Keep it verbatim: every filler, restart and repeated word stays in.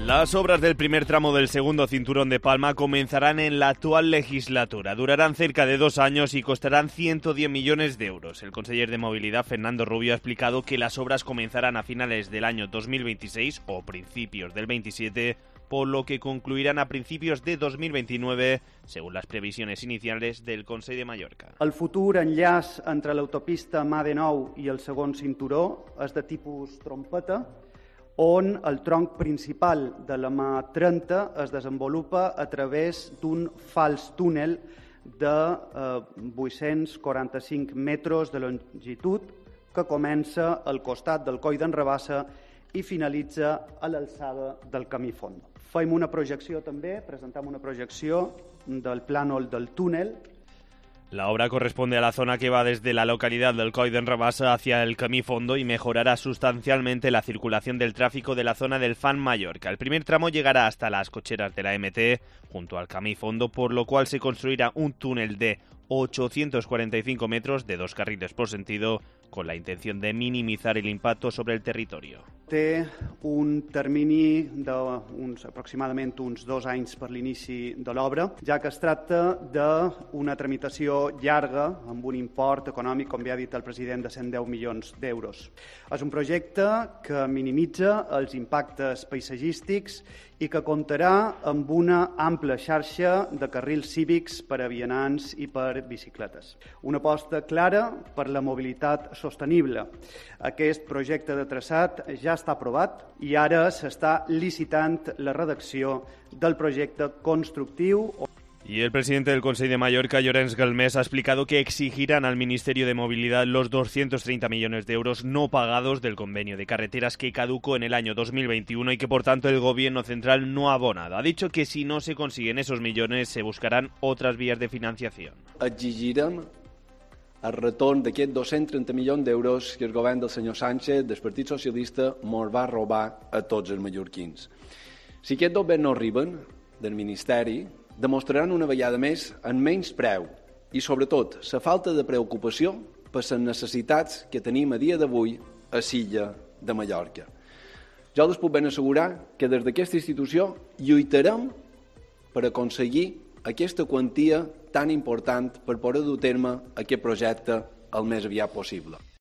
Las obras del primer tramo del segundo cinturón de Palma comenzarán en la actual legislatura. Durarán cerca de dos años y costarán ciento diez millones de euros. El conseller de Movilidad, Fernando Rubio, ha explicado que las obras comenzarán a finales del año dos mil veintiséis o principios del veintisiete, por lo que concluirán a principios de dos mil veintinueve, según las previsiones iniciales del Consell de Mallorca. El futur enllaç entre l'autopista M A D nou i el segon cinturó és de tipus trompeta, on el tronc principal de la M A trenta es desenvolupa a través d'un fals túnel de eh, vuit-cents quaranta-cinc metres de longitud que comença al costat del Coll d'en Rabassa i finalitza a l'alçada del Camí Fondo. Fem una projecció també, presentem una projecció del plànol del túnel. La obra corresponde a la zona que va desde la localidad del Coll d'en Rabassa hacia el Camí Fondo y mejorará sustancialmente la circulación del tráfico de la zona del Fan Mallorca. El primer tramo llegará hasta las cocheras de la M T, junto al Camí Fondo, por lo cual se construirá un túnel de ochocientos cuarenta y cinco metros de dos carriles por sentido, con la intención de minimizar el impacto sobre el territorio. Té un termini d'uns aproximadament uns dos anys per l'inici de l'obra, ja que es tracta d'una tramitació llarga amb un import econòmic, com ja ha dit el president, de cent deu milions d'euros. És un projecte que minimitza els impactes paisatgístics i que comptarà amb una ampla xarxa de carrils cívics per a vianants i per bicicletes. Una aposta clara per la mobilitat sostenible. Aquest projecte de traçat ja està aprovat i ara s'està licitant la redacció del projecte constructiu. Y el presidente del Consell de Mallorca, Llorenç Galmés, ha explicado que exigirán al Ministerio de Movilidad los doscientos treinta millones de euros no pagados del convenio de carreteras que caducó en el año dos mil veintiuno y que, por tanto, el Gobierno central no ha abonado. Ha dicho que si no se consiguen esos millones, se buscarán otras vías de financiación. Exigirem el retorn d'aquests dos-cents trenta milions d'euros que el govern del senyor Sánchez, del Partit Socialista, mos va robar a tots els mallorquins. Si aquests dos béns no arriben del Ministeri, demostraran una vegada més en menys preu i, sobretot, la falta de preocupació per les necessitats que tenim a dia d'avui a l'illa de Mallorca. Jo els puc ben assegurar que des d'aquesta institució lluitarem per aconseguir aquesta quantia tan important per poder dur a terme aquest projecte el més aviat possible.